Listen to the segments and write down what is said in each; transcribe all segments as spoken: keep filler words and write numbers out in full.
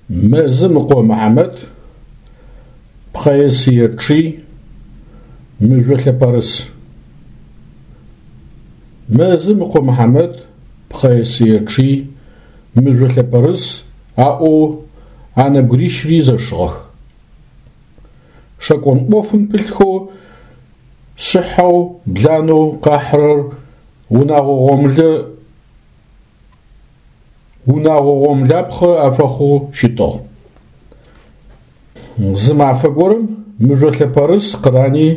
Мэзым ыкъо Мыхьамэт, пхъэе-сые чъый, мыжъо лъэпэрыс. Мэзым ыкъо Мыхьамэт, пхъэе-сые чъый, мыжъо лъэпэрыс аӏоу а нэбгырищыри зэшыгъэх. Шэкӏон ӏофым пылъхэу шъыхьэу, бланэу къахьырэр унагъо гъомылэ унагъо гъомлапхъэ афэхъоу щытыгъ. Зы мафэ горэм мыжъо лъэпэрыс къырани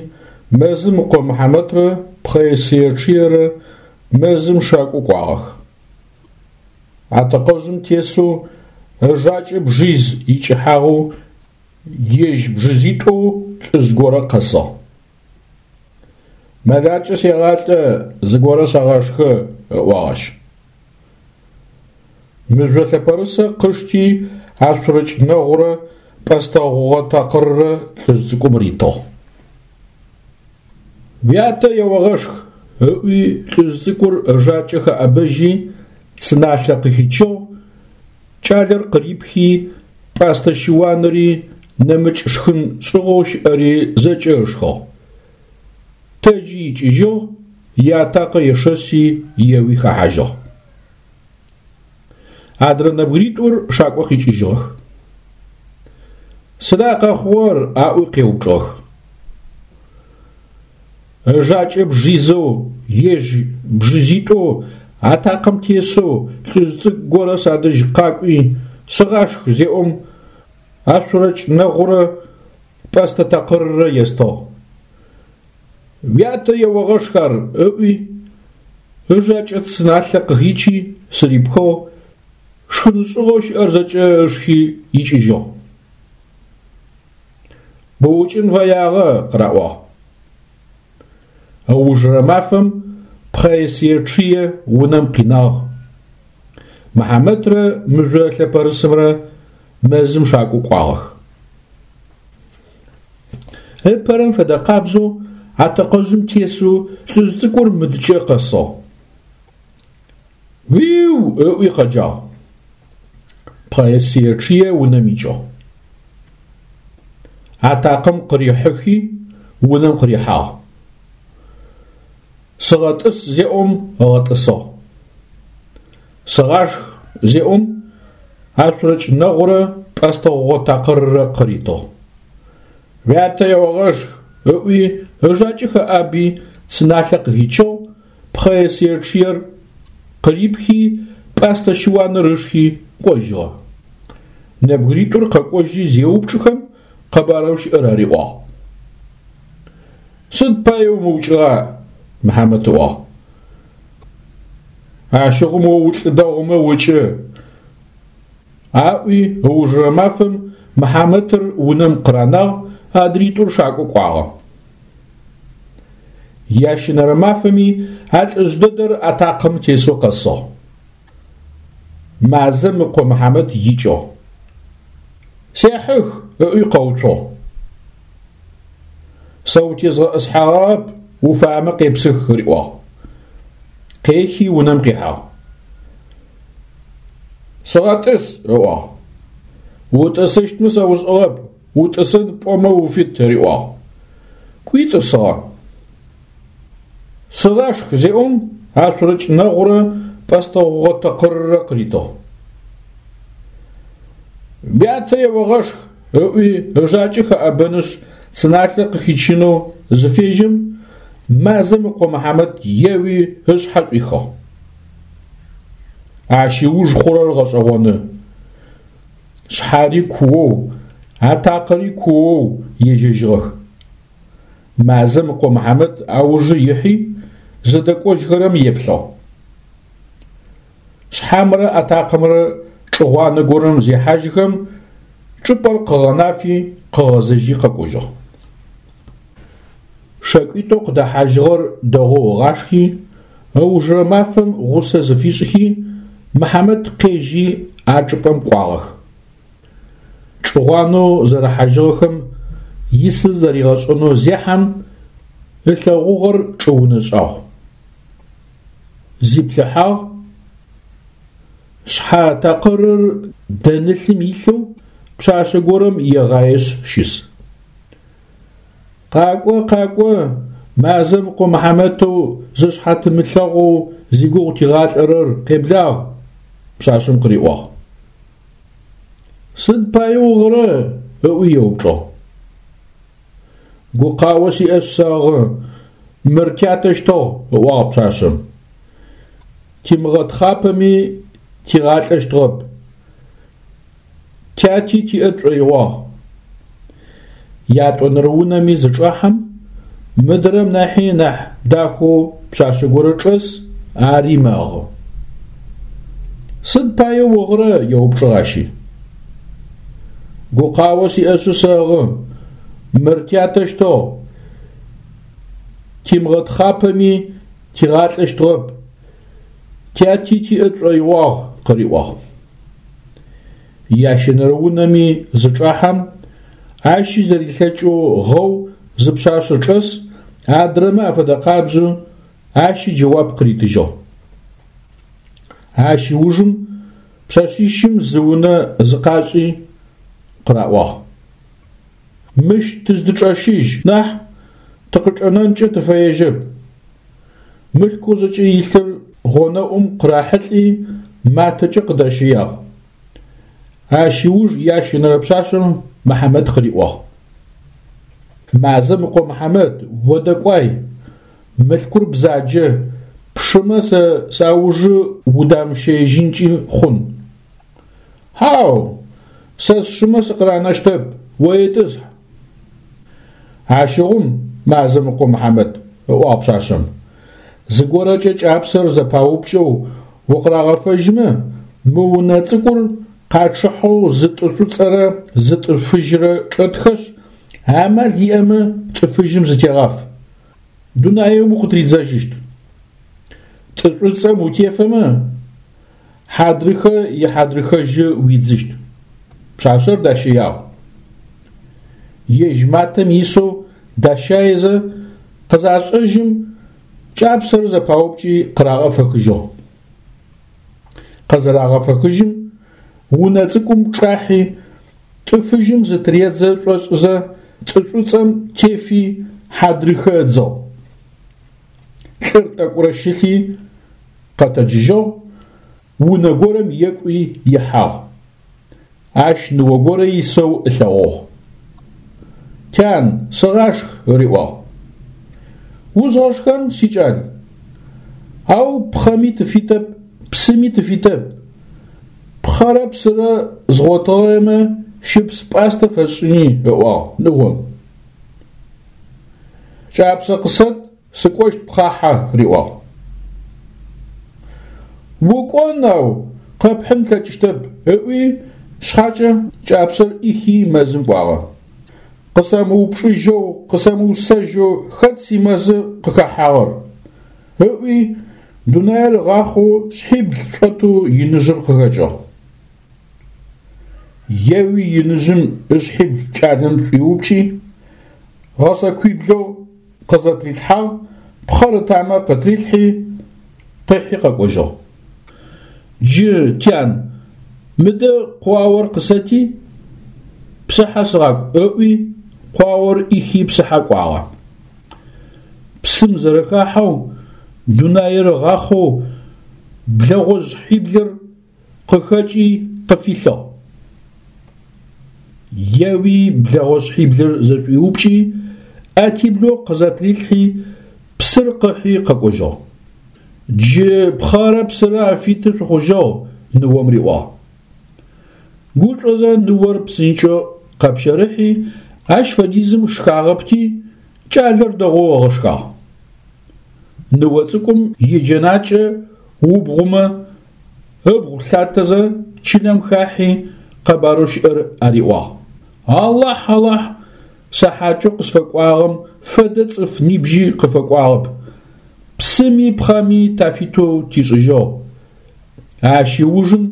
мэзым ыкъо Мыхьамэтрэ пхъэе-сые чъыерэ мэзым шакӏо кӏуагъэх. Атэкъэжъым тесэу ыжакӏэ бжиз икӏыхьагъэу ежь бжизитӏоу лӏыжъ горэ къэсыгъ. Мэлакӏэ сегъалӏэ, зыгорэ сэгъашхэ, ыӏуагъ ащ. Мыжъо лъэпэрысэ къышти ашъурэкӏ нэгъурэ пӏэстэ гъугъэ такъыррэ лӏыжъ цӏыкӏум ритыгъ. Уятэ еогъэшх, ыӏуи лӏыжъ цӏыкӏур ыжакӏэ хэӏэбэжьи цы налъэ къыхичыгъ, кӏалэр къырипхи, пӏастэ щыуанри нэмыкӏ шхын шӏыгъэу щыӏэри зэкӏэ ышхыгъ. Тэджи икӏыжьыгъ, иатакъэ ешэси еуи хэхьажьыгъ. Адрэ нэбгыритӏур шакӏо къикӏыжьыгъэх. Сыда къэхъугъэр аӏуи къеупчӏыгъэх. Ыжакӏэ бжизэу, ежь бжизитӏоу атакъэм тесэу лӏыжъ цӏыкӏу горэ садэжь къакӏуи сыгъашх зеӏом ашъурэкӏ нэгъурэ пӏэстэ такъыррэ естыгъ. Уятэ еогъэшх ар ыӏуи, ыжакӏэ цы налъэ къыхичи сырипхыгъ, шхын шӏыгъэу щыӏэр зэкӏэ ышхи икӏыжьыгъ. Быукӏын фэягъэ къыраӏуагъ. Ыужырэ мафэм пхъэе-сые чъые унэм къинагъ. Мыхьамэтрэ мыжъо лъэпэрысымрэ мэзым шакӏо кӏуагъэх. Ыпэрэм фэдэ къабзэу атэкъэжъым тесэу лӏыжъ цӏыкӏур мыдыкӏэ къэсыгъ. Уиу! Ыӏуи къэджагъ. Пхъэе-сые чъые унэм икӏыгъ. Атакъэм къырихьыхи унэм къырихьагъ. Сыгъэтӏыс зеӏом ыгъэтӏысыгъ. Сыгъашх зеӏом ашъурэкӏ нэгъурэ пӏэстэ гъугъэ такъыррэ къыритыгъ. Уятэ еогъэшх, ыӏуи ыжакӏэ хэӏаби цы налъэ къыхичыгъ, пхъэе-сые чъыер къырипхи, пӏастэ щыуаныр ышхи кӏожьыгъэ. Нэбгыритӏур къэкӏожьи зеупчӏыхэм къэбарэу щыӏэр ариӏуагъ. Сыд пае умыукӏыгъа? Мыхьамэт ыӏуагъ. Ащыгъум о улӏы дэгъумэ укӏы. Аӏуи ыужырэ мафэм Мыхьамэтыр унэм къыранагъ, адритӏур шакӏо кӏуагъэ. Ящэнэрэ мафэми а лӏыжъ дэдэр атакъэм тесэу къэсыгъ. Мазэм ыкъо Мыхьамэт икӏыгъ. Сехьых, ыӏуи къэуцугъ. Сэ утезгъэӏысхьагъэп, уфаемэ къепсых, риӏуагъ. Къехи унэм къихьагъ. Сыгъэтӏыс, ыӏуагъ. Утӏысыщтмэ сэ усӏыгъэп, утӏысын пӏомэ уфит, риӏуагъ. Кӏуи тӏысыгъэ. Сыгъашх зеӏом ашъурэкӏ нэгъурэ пӏэстэ гъугъэ такъыррэ къыритыгъ. Уятэ еогъэшх, ыӏуи ыжакӏэ хэӏэбэнышъ цы налъэ къыхичынэу зыфежьэм, мазэм ыкъо Мыхьамэт еуи ышъхьэ шӏуихыгъ. Ащ ыуж хъурэр гъэшӏэгъоны. Шъхьари куоу, атакъэри куоу ежьэжьыгъэх. Мазэм ыкъо Мыхьамэт аужы ихьи, зыдэкӏожьхэрэм еплъыгъ. Шъхьамрэ атакъэмрэ чӏыгъуанэ горэм зехьажьхэм, чӏыпӏэр къыгъэнафи къыгъэзэжьи къэкӏожьыгъ. Шэкӏуитӏоу къыдэхьажьыгъэр дэгъоу ыгъашхи, ыужырэ мафэм гъусэ зыфишӏхи, Мыхьамэт къежьи а чӏыпӏэм кӏуагъэх. Чӏыгъуанэу зэрыхьажьыгъэхэм исыр зэригъэшӏэнэу зехьэм, ылъэгъугъэр чӏыунэ шӏагъу. Зиплъыхьагъ, Шъхьэ такъырыр дэнылъым илъэу пшъашъэ горэм егъаешъ щыс. Къакӏо, къакӏо, мазэм ыкъо Мыхьамэтэу зышъхьэ тымылъэгъоу зигугъу тигъалӏэрэр, къеблагъ, пшъашъэм къыриӏуагъ. Сыд пае угъырэ? ыӏуи еупчӏыгъ. Гукъао сиӏэшъ сэгъы, мыр тятэщтыгъ, ыӏуагъ пшъашъэм. Тимыгъэтхъапэми тигъалӏэщтыгъэп. Тяти тиӏэ тшӏоигъуагъ. Ятӏонэрэ унэми зычӏахьэм, мыдрэм нахьи нахь дахэу пшъашъэ горэ чӏэс, ари мэгъы. Сыд пае угъырэ? еупчӏыгъ ащи. Гукъао сиӏэшъы сэгъы, мыр тятэщтыгъ. Тимыгъэтхъапэми тигъалӏэщтыгъэп. Тяти тиӏэ тшӏоигъуагъ, къыриӏуагъ. Ящэнэрэ унэми зычӏахьэм, ащи зэрилъэкӏэу гъэу зы пшъашъэ чӏэс, адрэмэ афэдэ къабзэу ащи джэуап къыритыжьыгъ. Ащ ыужым пшъэшъищым зы унэ зыкъашӏи къыраӏуагъ. Мыщ тыздычӏэщыжь нахь тыкъычӏэнэнкӏэ тыфэежьэп. Мылъкоу зэкӏэ илъыр гъонэӏум къырахьылӏи матэкӏэ къыдащэягъ. Ащ ыуж ящэнэрэ пшъашъэм Мыхьамэт къыриӏуагъ. Мазэм ыкъо Мыхьамэт, о дэкӏуай, мылъкур бзаджэ, пшымэ сэ саужы удамыщэежьынкӏи хъун. Хьау, сэ сшымэ сыкъыранэщтэп, о етӏысхь. Ащыгъум мазэм ыкъо Мыхьамэт, ыӏуагъ пшъашъэм. Зыгорэкӏэ кӏапсэр зэпаупкӏэу укъырагъэфэжьмэ, мы унэ цӏыкӏур къачъыхьэу зы тӏы шӏуцӏэрэ зы тӏы фыжьрэ чӏэтхэшъ, амал иӏэмэ тӏы фыжьым зытегъаф. Дунаим укъытридзэжьыщт. Тӏы шӏуцӏэм утефэмэ, хьадрыхэ ихьадрыхэжьы уидзыщт. Пшъашъэр дащэягъ. Ежь матэм исэу дащаезэ къызашӏэжьым, кӏапсэр зэпаупкӏи къырагъэфэхыжьыгъ. Къызырагъэфэхыжьым, унэ цӏыкӏум чӏахьи, тӏы фыжьым зытыредзэ шӏошӏызэ, тӏы шӏуцӏэм тефи хьадрыхэ ыдзыгъ. Лӏыр тӏэкӏурэ щылъи къэтэджыжьыгъ, унэ горэм екӏуи ихьагъ. Ащ ныо горэ исэу ылъэгъугъ. Тян, сыгъашх, ыриӏуагъ. Узгъэшхэн, сикӏал. Ау пхъэми тыфитэп, псыми тыфитэп. Пхъэрэ псырэ згъотыгъэмэ щыпс пӏастэ фэсшӏыни, ыӏуагъ ныом. Кӏапсэ къысэт, сыкӏощт пхъахьэ, риӏуагъ. Укӏон ау къэпхьын плъэкӏыщтэп, ыӏуи шъхьакӏэ кӏапсэр ӏихи мэзым кӏуагъэ. Къысэмыупчӏыжьэу, къысэмыусэжьэу хэт симэзы къыхэхьагъэр? Ыӏуи дунаир ыгъахъоу шъхьибл шӏотэу иныжъыр къыхэкӏыгъ. Еуи иныжъым ышъхьибл кӏалэм шӏуиупкӏи, гъэсэкуиблэу къызэтрилъхьагъ, пхъэр ытамэ къытрилъхьи, къыхьи къэкӏожьыгъ. Джы, тян, мыдэ къуаор къысэти, псыхьэ сыгъакӏу, ыӏуи къуаор ӏихи псыхьэ кӏуагъэ. Псым зэрэхахьэу, дунаир ыгъахъоу блэгъожъхьиблыр къыхэкӏи къыфилъыгъ. Еуи блэгъожъхьиблыр зэшӏуиупкӏи, ӏэтиблэу къызэтрилъхьи, псыр къыхьи къэкӏожьыгъ. Джы пхъэрэ псырэ афиты шъухъужьыгъ, ныом риӏуагъ. Гушӏозэ ныор псынкӏэу къэпщэрыхьи, ащ фэдизым шхагъэпти, кӏалэр дэгъоу ыгъэшхагъ. Ныо цӏыкӏум иджэнакӏэ убгъумэ, ыбгъу лъатэзэ чылэм хахьи къэбарэу щыӏэр ариӏуагъ. Алахь, Алахь, сэ хьакӏэу къысфэкӏуагъэм фэдэ цӏыф нибжьи къыфэкӏуагъэп. Псыми пхъэми тафитэу тишӏыжьыгъ. Ащ ыужым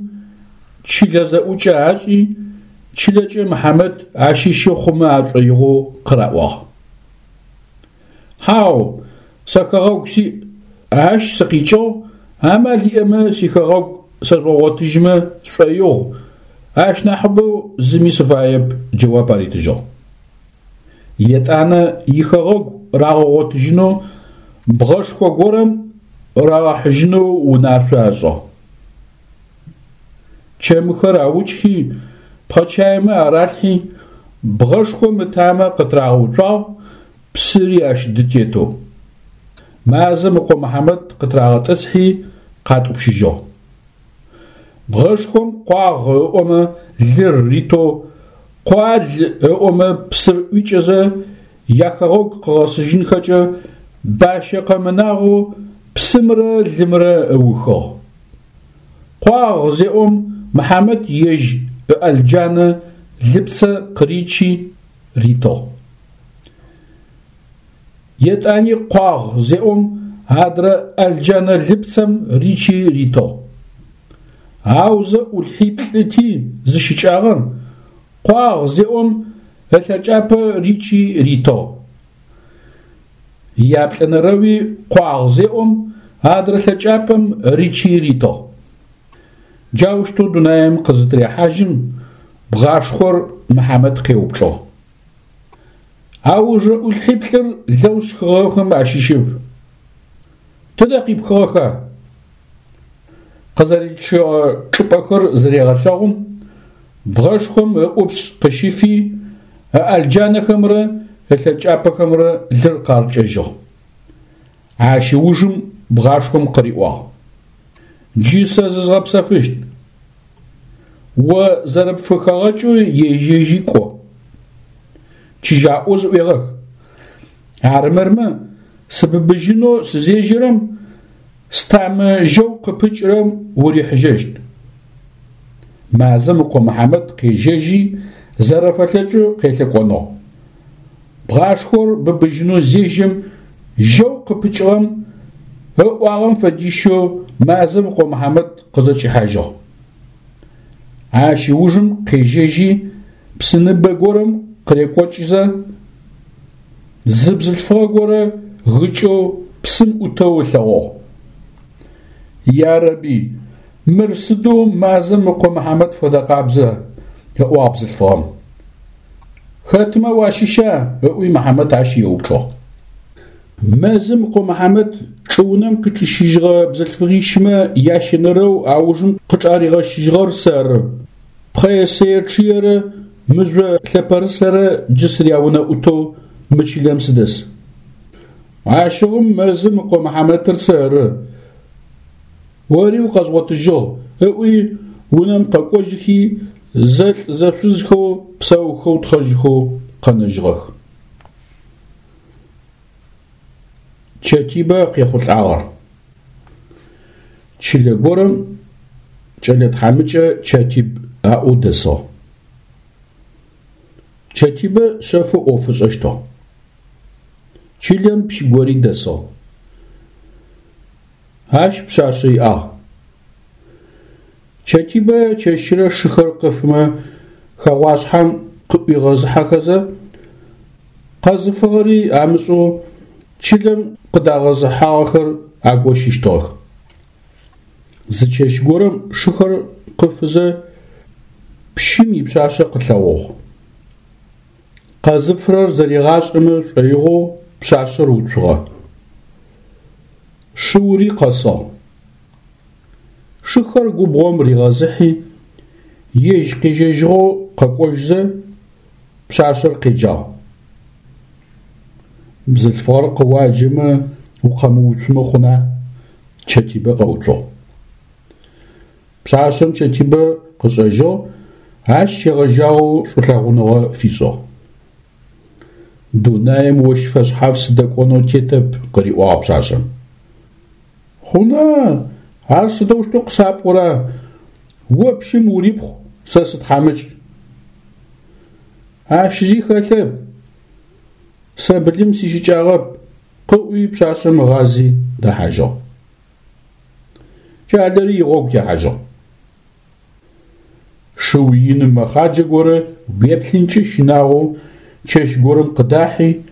чылэ зэӏукӏэ ашӏи, чылэкӏэ Мыхьамэт ащыщы хъумэ ашӏоигъоу къыраӏуагъ. Хьау, сэ хэгъэгу сиӏ, ащ сыкъикӏыгъ, амал иӏэмэ сихэгъэгу сэжъугъотыжьмэ сшӏоигъу, ащ нахьыбэу зыми сыфаеп, джэуап аритыжьыгъ. Етӏанэ ихэгъэгу рагъэгъотыжьынэу бгъэшхо горэм рагъэхьыжьынэу унашъо ашӏыгъ. Чэмыхэр аукӏхи, пхъэчаймэ аралъхьи, бгъэшхом ытамэ къытырагъэуцуагъ, псыри ащ дытетэу. Мазэм ыкъо Мыхьамэт къытырагъэтӏысхьи, къатӏупщыжьыгъ. Бгъэшхом къуагъ ыӏомэ лыр ритэу, къуал ыӏомэ псыр ӏуикӏэзэ, яхэгъэгу къыгъэсыжьынхэкӏэ бащэ къэмынагъэу псымрэ лымрэ ыухыгъ. Къуагъ зеӏом Мыхьамэт ежь ыӏэлджанэ лыпцэ къыричи ритыгъ. Етӏани къуагъ зеӏом адрэ ӏэлджэнэ лыпцэм ричи ритыгъ. Аузэ ӏулъхьиплӏыти зыщыкӏагъэр, къуагъ зеӏом ылъэкӏапэ ричи ритыгъ. Яплӏэнэрэуи къуагъ зеӏом адрэ лъэкӏапэм ричи ритыгъ. Джаущтэу дунаим къызытырехьажьым бгъашхъор Мыхьамэт къеупчӏыгъ. Аужрэ ӏулъхьиплӏыр лэу сшхыгъэхэм ащыщэп. Тыдэ къипхыгъэха? Къызэричъыгъэ чӏыпӏэхэр зырегъэлъэгъум, бгъэшхом ыӏупс къыщифи, ыӏэлджанэхэмрэ ылъэкӏапэхэмрэ лыр къарыкӏэжьыгъ. Ащ ыужым бгъашхом къыриӏуагъ: Джы сэ зызгъэпсэфыщт. О зэрэпфыхэгъэкӏэу ежьэжьи кӏо. Чыжьаӏоу зыӏуегъэх. Армырмэ, сыбыбыжьынэу сызежьэрэм, стамэ жьэу къыпыкӏырэм урихьыжьэщт. Мазэм ыкъо Мыхьамэт къежьэжьи, зэрэфэлъэкӏэу къелъэкӏоныгъ. Бгъашхор быбыжьынэу зежьэм, жьэу къыпыкӏыгъэм ыӏуагъэм фэдищэу мазэм ыкъо Мыхьамэт къызэкӏихьажьыгъ. Ащ ыужым къежьэжьи, псыныбэ горэм къырекӏокӏызэ, зы бзылъфыгъэ горэ гыкӏэу псым ӏутэу ылъэгъугъ. Ярэби, мыр сыдэу мазэм ыкъо Мыхьамэт фэдэ къабзэ, ыӏуагъ бзылъфыгъэм. Хэтмэ уащыща? Ыӏуи Мыхьамэт ащ еупчӏыгъ. Мэзым ыкъо Мыхьамэт чӏыунэм къычӏищыжьыгъэ бзылъфыгъищмэ ящэнэрэу аужым къычӏаригъэщыжьыгъэр сэры. Пхъэесэе чъыерэ мыжъо лъэпэрысэрэ джы сыряунэ ӏутэу мы чылэм сыдэс. Ащыгъум мэзым ыкъо Мыхьамэтыр сэры. Ори укъэзгъотыжьыгъ, ыӏуи унэм къэкӏожьыхи, зэлӏ-зэшъузхэу псэухэу тхъэжьхэу къэнэжьыгъэх. Чэтибэ къехъулӏагъэр. Чылэ горэм кӏэлэ тхьамыкӏэ Чэтиб аӏоу дэсыгъ. Чэтибэ шъэфэу ӏоф ышӏэщтыгъ. Чылэм пщы гори дэсыгъ. Ащ пшъашъэ иӏагъ. Чэтибэ чэщырэ шыхэр къыфымэ хэгъуашъхьэм къыӏуигъэзыхьэхэзэ, къэзыфыгъэри амышӏэу чылэм къыдагъэзыхьагъэхэр агощыщтыгъэх. Зы чэщ горэм шыхэр къыфызэ пщым ипшъашъэ къылъэгъугъ. Къэзыфырэр зэригъашӏэмэ шӏоигъоу пшъашъэр уцугъэ. Шыури къэсыгъ. Шыхэр губгъом ригъэзыхьи, ежь къежьэжьыгъэу къэкӏожьызэ, пшъашъэр къеджагъ. Бзылъфыгъэр къыуаджэмэ укъэмыуцумэ хъуна? Чэтибэ къэуцугъ. Пшъашъэм Чэтибэ къышӏэжьыгъ, ащ щегъэжьагъэу шӏулъэгъуныгъэ фишӏыгъ. Дунаим ощ фэшъхьаф сыдэкӏонэу тетэп, къыриӏуагъ пшъашъэм. Хъуна, ар сыдэущтэу къысапӏора? О пщым урипхъу, сэ сытхьамыкӏ. Ащ зи хэлъэп. Сэ былым сищыкӏагъэп, къыӏуи пшъашъэм ыгъази дэхьажьыгъ. Кӏалэри игъогу техьажьыгъ. Шыу иным мэхъаджэ горэ уеплъынкӏи щынагъоу чэщ горэм къыдахьи,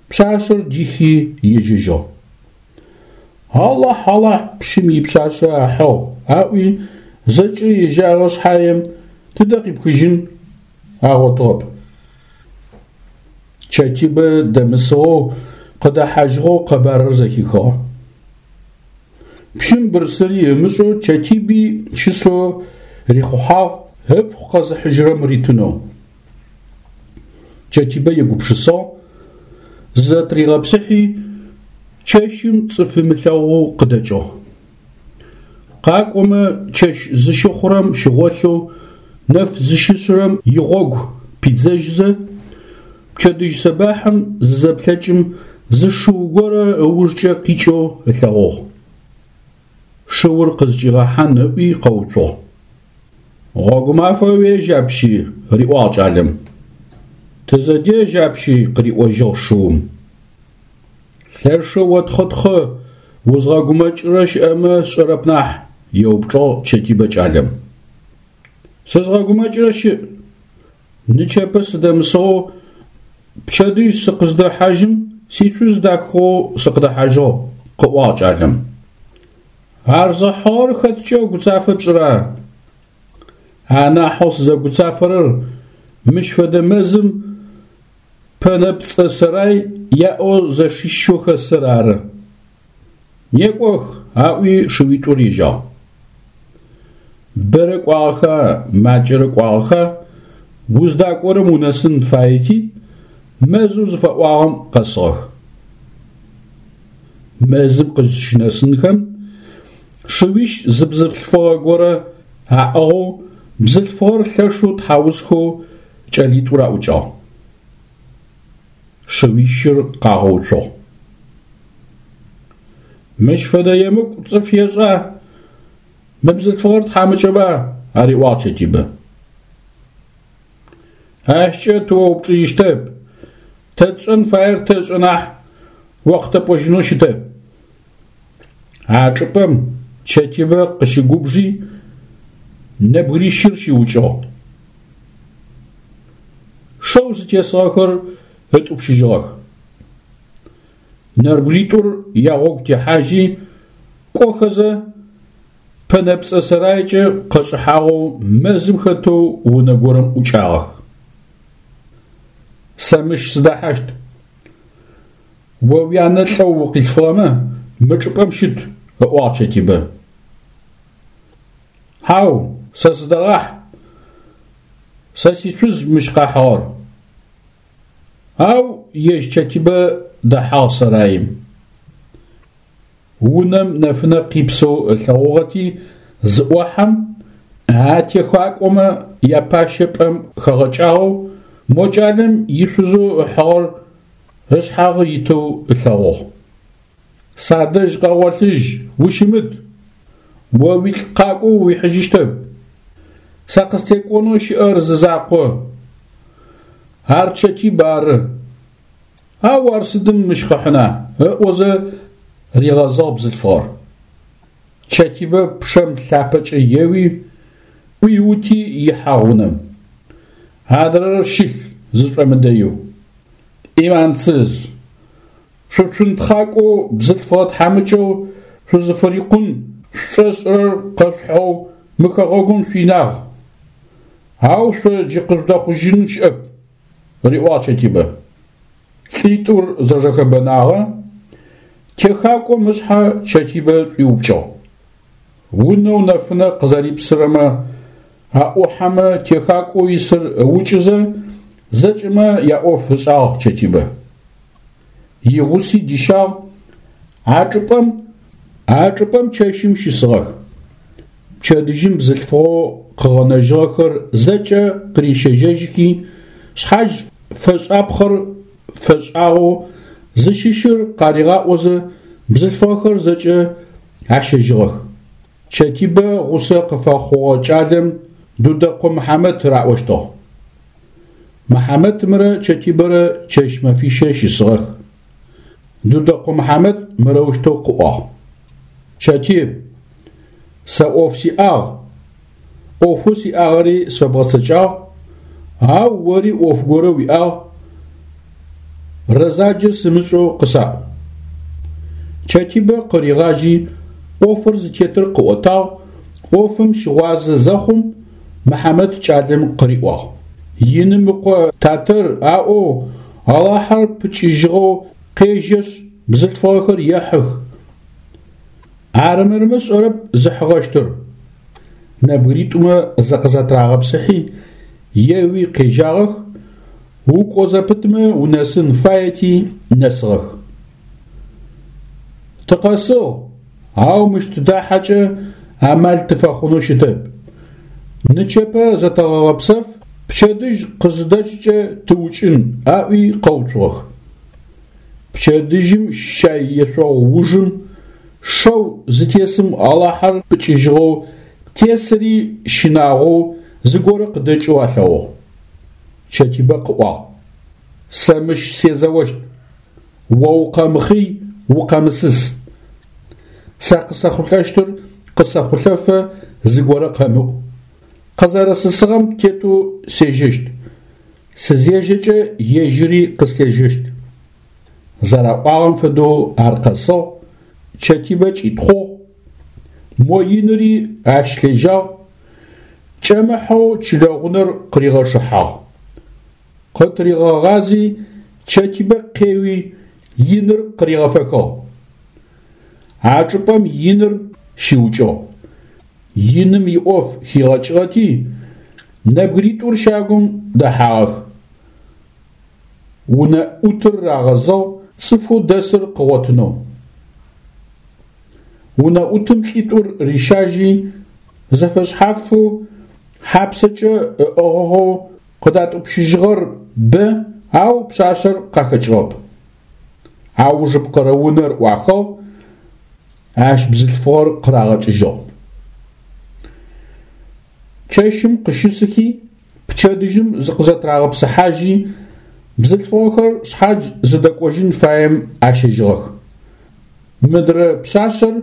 пшъашъэр дихи ежьэжьыгъ. Алахь, Алахь, пщым ипшъашъэ ахьыгъ, аӏуи Зэкӏэ ежьагъэ шъхьаем тыдэ къипхыжьын агъотыгъэп. Чэтибэ дэмысыгъэу къыдэхьажьыгъэу къэбарыр зэхихыгъэ. Пщым бырсыри ымышӏэу Чэтиби щысэу рихъухьагъ ыпхъу къэзыхьыжьырэм ритынэу. Чэтибэ егупшысагъ, зызэтыригъэпсыхьи чэщым цӏыф ымылъэгъоу къыдэкӏыгъ. Къакӏомэ чэщ зыщыхъурэм щыгъолъэу, нэф зыщышъырэм игъогу пидзэжьызэ, пчэдыжь сэбахьым зызэплъэкӏым зы шыу горэ ыужкӏэ къикӏэу ылъэгъугъ. Шыур къызкӏигъэхьан ыӏуи къэуцугъ. Гъогумафэ уежь апщи, риӏуагъ кӏалэм. Тызэдежь апщи, къыриӏожьыгъ шыум. Лъэшэу отхъытхъы, узгъэгумэкӏырэ щыӏэмэ сшӏэрэп нахь, еупчӏыгъ Чэтибэ кӏалэм. Сызгъэгумэкӏырэ щыӏ. Нычэпэ сыдэмысыгъэу пчэдыжь сыкъыздэхьажьым сишъуз дахыгъэу сыкъыдэхьажьыгъ, къыӏуагъ кӏалэм. Ар зыхьыгъэр хэткӏэ гуцафэ пшӏыра? Анахьэу сызэгуцафэрэр мыщ фэдэ мэзым пэнэпцӏэ сэрай яӏэу зэшищэу хэсыр ары. Некӏох, аӏуи шыуитӏур ежьагъ. Бэрэ кӏуагъэха, макӏэрэ кӏуагъэха, уздакӏорэм унэсын фаети, мэзэу зыфэӏуагъэм къэсыгъэх. Мэзым къызщынэсынхэм шыуищ зы бзылъфыгъэ горэ аӏыгъэу бзылъфыгъэр лъэшэу тхьаусхэу кӏэлитӏур аӏукӏагъ. Шыуищыр къагъэуцугъ. Мыщ фэдэ емыкӏу цӏыф ешӏа? Мы бзылъфыгъэр тхьамыкӏэба? Ариӏуагъ Чэтибэ. Ащкӏэ тыоупчӏыжьыщтэп. Тэ тшӏэн фаер тэшӏэ нахь, охътэ пӏожьынэу щытэп. А чӏыпӏэм Чэтибэ къыщыгубжи нэбгырищыр щиукӏыгъ. Шэу зытесыгъэхэр ытӏупщыжьыгъэх. Нэбгыритӏур ягъогу техьажьи, кӏохэзэ пэнэпцӏэ сэрайкӏэ къэшӏыхьагъэу мэзым хэтэу унэ горэм ӏукӏагъэх. Сэ мыщ сыдэхьащт. О уянэ лӏэу укъилъфыгъэмэ, мы чӏыпӏэм щыт, ыӏуагъ Чэтибэ. Хьау, сэ сыдэгъахь. Сэ сишъуз мыщ къахьыгъэр. Ау ежь Чэтибэ дэхьагъ сэраим. Унэм нэфынэ къипсэу ылъэгъугъэти зыӏохьэм, а техакӏомэ япащэ пӏэм хэгъэкӏагъэу, мо кӏалэм ишъузэу ыхьыгъэр ышъхьагъы итэу ылъэгъугъ. Садэжь къэгъолъыжь, ущымыт! О уилӏ къакӏоу уихьыжьыщтэп. Сэ къыстекӏонэу щыӏэр зы закъо. Ар Чэтиб ары. Ау ар сыдым мыщ къыхьына? Ыӏозэ ригъэзыгъ бзылъфыгъэр. Чэтибэ пчъэм лъапэкӏэ еуи, ӏуиути ихьагъ унэм. Адрэр щылъ зышӏомыдэеу. Ӏиманцыз, шъуцунтхъакӏоу бзылъфыгъэ тхьамыкӏэу шъузыфырикъун шъушӏошӏырэр къэшъухьэу мы хэгъэгум шъуинагъ. Ау шъо джы къыжъудэхъужьын щыӏэп, риӏуагъ Чэтибэ. Лӏитӏур зэжэхэбэнагъэ, техакӏом ышъхьэ Чэтибэ шӏуиупкӏыгъ. Унэу нэфынэ къызэрипсырэмэ аӏухьэмэ техакӏоу исыр ыукӏызэ, зэкӏэмэ яӏоф ышӏагъ Чэтибэ. Игъуси дищагъ, а чӏыпӏэм, а чӏыпӏэм чэщым щысыгъэх. Пчэдыжьым бзылъфыгъэу къыгъэнэжьыгъэхэр зэкӏэ къырищэжьэжьыхи, шъхьадж фэшӏапхъэр фэшӏагъэу зыщыщыр къаригъаӏозэ бзылъфыгъэхэр зэкӏэ ащэжьыгъэх. Чэтибэ гъусэ къыфэхъугъэ кӏалэм Дудэкъо Мыхьамэт раӏощтыгъ. Мыхьамэтымрэ Чэтибэрэ чэщ мэфищэ щысыгъэх. Дудэкъо Мыхьамэт мырэущтэу къыӏуагъ: Чэтиб, сэ ӏоф сиӏагъ, ӏофэу сиӏагъэри сфэбгъэцэкӏагъ, ау ори ӏоф горэ уиӏагъ, рэзаджэ сымышӏэу къысаӏу. Чэтибэ къыригъажьи, ӏофыр зытетыр къыӏотагъ, ӏофым щыгъуазэ зэхъум, Мыхьамэт кӏалэм къыриӏуагъ: Иным ыкъо Тэтэр аӏоу Алахьэр пыкӏыжьыгъэу къежьэшъ бзылъфыгъэхэр ехьых. Арымырмэ сшӏэрэп зыхьыгъэщтыр. Нэбгыритӏумэ зыкъызэтырагъэпсыхьи, еуи къежьагъэх, укӏо зэпытмэ унэсын фаети нэсыгъэх. Тыкъэсыгъ, ау мыщ тыдахьэкӏэ амал тыфэхъунэу щытэп. Нычэпэ зэтэгъэгъэпсэф, пчэдыжь къызыдэкӏкӏэ тыукӏын, аӏуи къэуцугъэх. Пчэдыжьым щай ешъогъу ужым шэу зытесым Алахьэр пыкӏыжьыгъэу тесыри щынагъоу зыгорэ къыдэкӏэу алъэгъугъ. Чэтибэ къыӏуагъ: Сэ мыщ сезэощт, о укъэмыхъый, укъэмысыс. Сэ къысэхъулӏэщтыр къысэхъулӏэфэ зыгорэ къэмыӏу. Къызэрэсысыгъэм тетэу сежьэщт. Сызежьэкӏэ ежьыри къыслъежьэщт. Зэраӏуагъэм фэдэу ар къэсыгъ, Чэтибэ кӏитхъугъ, мо иныри ащ лъежьагъ, кӏэмыхьэу чылэгъунэр къыригъэчъыхьагъ. Къытыригъэгъази Чэтибэ къеуи иныр къыригъэфэхыгъ. А чӏыпӏэм иныр щиукӏыгъ. Иным иӏоф хигъэкӏыгъэти, нэбгыритӏур щагум дэхьагъэх. Унэӏутыр рагъэзыгъ цӏыфэу дэсыр къыгъотынэу. Унэӏутым лӏитӏур рищажьи, зэфэшъхьафэу хьапсэкӏэ ыӏыгъыгъэу къыдатӏупщыжьыгъэр бэ, ау пшъашъэр къахэкӏыгъэп. Аужыпкъэрэ унэр ӏуахыгъ, ащ бзылъфыгъэр къырагъэкӏыжьыгъ. Чэщым къыщысыхи, пчэдыжьым зыкъызэтырагъэпсыхьажьи, бзылъфыгъэхэр шъхьадж зыдэкӏожьын фаем ащэжьыгъэх. Мыдрэ пшъашъэр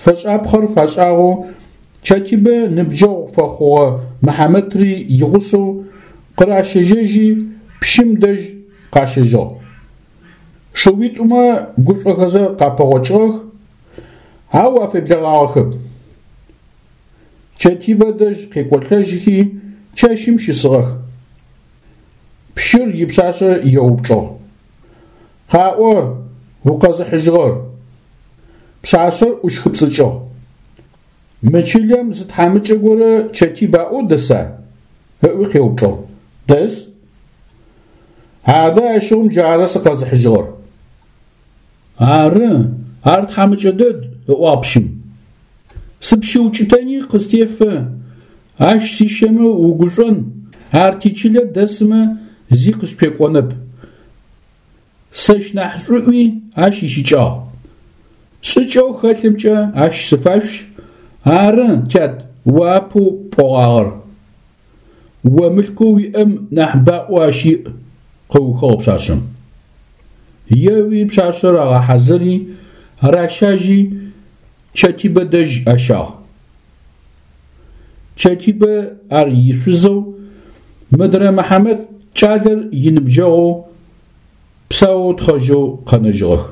фэшӏапхъэр фашӏагъэу Чэтибэ ныбджэгъу фэхъугъэ Мыхьамэтри игъусэу къыращэжьэжьи пщым дэжь къащэжьыгъ. Шыуитӏумэ гушӏохэзэ къапэгъокӏыгъэх, ау афеблэгъагъэхэп. Чэтибэ дэжь къекӏолӏэжьхи чэщым щысыгъэх. Пщыр ипшъашъэ еупчӏыгъ: Къаӏо укъэзыхьыжьыгъэр. Пшъашъэр ӏущхыпцӏыкӏыгъ. Мы чылэм зы тхьамыкӏэ горэ Чэтиб аӏоу дэса? Ыӏуи къеупчӏыгъ. Дэс. Адэ ащыгъум джары сыкъэзыхьыжьыгъэр. Ары, ар тхьамыкӏэ дэд, ыӏуагъ пщым. Сыпщыукӏытэни къыстефэ, ащ сищэмэ угушӏон, ар тичылэ дэсымэ зи къыспекӏонэп. Сэщ нахь шӏуӏуи ащ ищыкӏагъ. Шӏыкӏэу хэлъымкӏэ ащ сыфашъущ. Ары, тят, о апэу пӏогъагъэр. О мылъкоу уиӏэм нахь баӏо ащ иӏ, къыухыгъ пшъашъэм. Еуи пшъашъэр агъэхьазыри, ращажьи Чэтибэ дэжь ащагъ. Чэтибэ ар ишъузэу, мыдрэ Мыхьамэт кӏалэр иныбджэгъоу, псаоу тхъэжьэу къэнэжьыгъэх.